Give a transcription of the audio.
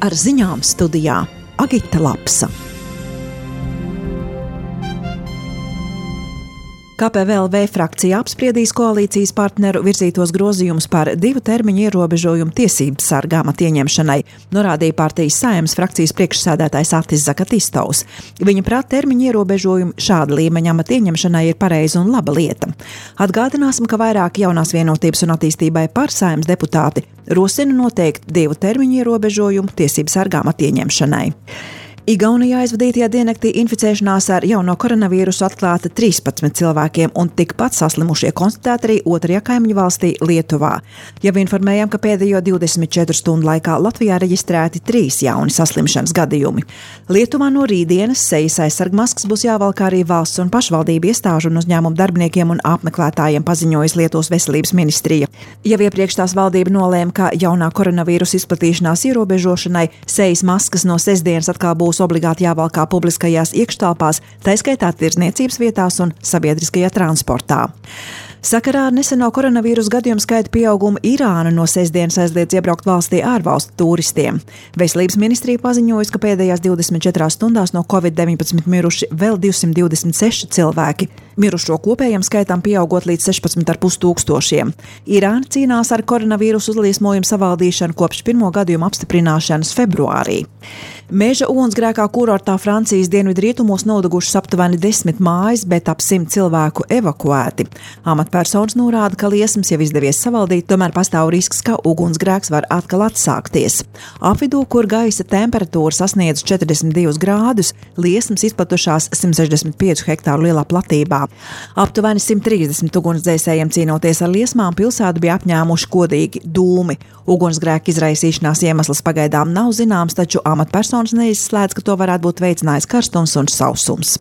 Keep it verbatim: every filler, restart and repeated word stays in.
Ar ziņām studijā Agita Lapsa. K P V L V frakcija apspriedīs koalīcijas partneru virzītos grozījumus par divu termiņu ierobežojumu tiesību sarga amata ieņemšanai, norādīja partijas Saeimas frakcijas priekšsēdētājs Atis Zakatistovs. Viņa prāt termiņu ierobežojumi šāda līmeņa amata ieņemšanai ir pareiza un laba lieta. Atgādināsim, ka vairāk jaunās vienotības un attīstībai par Saeimas deputāti rosina noteikt divu termiņu ierobežojumu tiesību sarga amata ieņemšanai. Igaunijā aizvadītajā diennaktī inficēšanās ar jauno koronavīrusu atklāta trīspadsmit cilvēkiem un tikpat saslimušie konstatēti arī otrajā kaimiņu valstī Lietuvā. Jau informējām, ka pēdējo divdesmit četru stundu laikā Latvijā reģistrēti trīs jauni saslimšanas gadījumi. Lietuvā no rītdienas sejas aizsargmaskas būs jāvalk arī valsts un pašvaldību iestāžu un uzņēmumu darbiniekiem un apmeklētājiem, paziņojas Lietuvas veselības ministrija. Jau iepriekš tās valdība nolēma, ka jaunā koronavīrusa izplatīšanās ierobežošanai sejas maskas no sestdienas atkal būs obligāti jāvalkā publiskajās iekštelpās, taiskaitā tirdzniecības vietās un sabiedriskajā transportā. Sakarā ar neseno koronavīrusa gadījumu skaita pieaugumu Irāna no sestdienas aizliedz iebraukt valstī ārvalstu turistiem. Veselības ministrija paziņojas, ka pēdējās divdesmit četrās stundās no covid deviņpadsmit miruši vēl divsimt divdesmit seši cilvēki, mirušo kopējam skaitam pieaugot līdz sešpadsmit ar pus tūkstošiem. Irāna cīnās ar koronavīrusu uzliesmojumu savaldīšanu kopš pirmo gadījumu apstiprināšanas februārī. Meža ugunsgrēkā kurortā Francijas dienvidrietumos nodegušas aptuveni desmit mājas, bet ap simt cilvēku evakuēti. Amatpersonas norāda, ka liesmas jau izdevies savaldīt, tomēr pastāv risks, ka ugunsgrēks var atkal atsākties. Apvidū, kur gaisa temperatūra sasniedz četrdesmit divus grādus, liesmas izplatušās simt sešdesmit piecu hektāru lielā platībā. Aptuveni simt trīsdesmit ugunsdzēsējiem cīnoties ar liesmām pilsētu bija apņēmuši kodīgi dūmi. Ugunsgrēka izraisīšanās iemesls pagaidām nav zināms, taču amatpersonas neizslēdz, ka to varētu būt veicinājis karstums un sausums.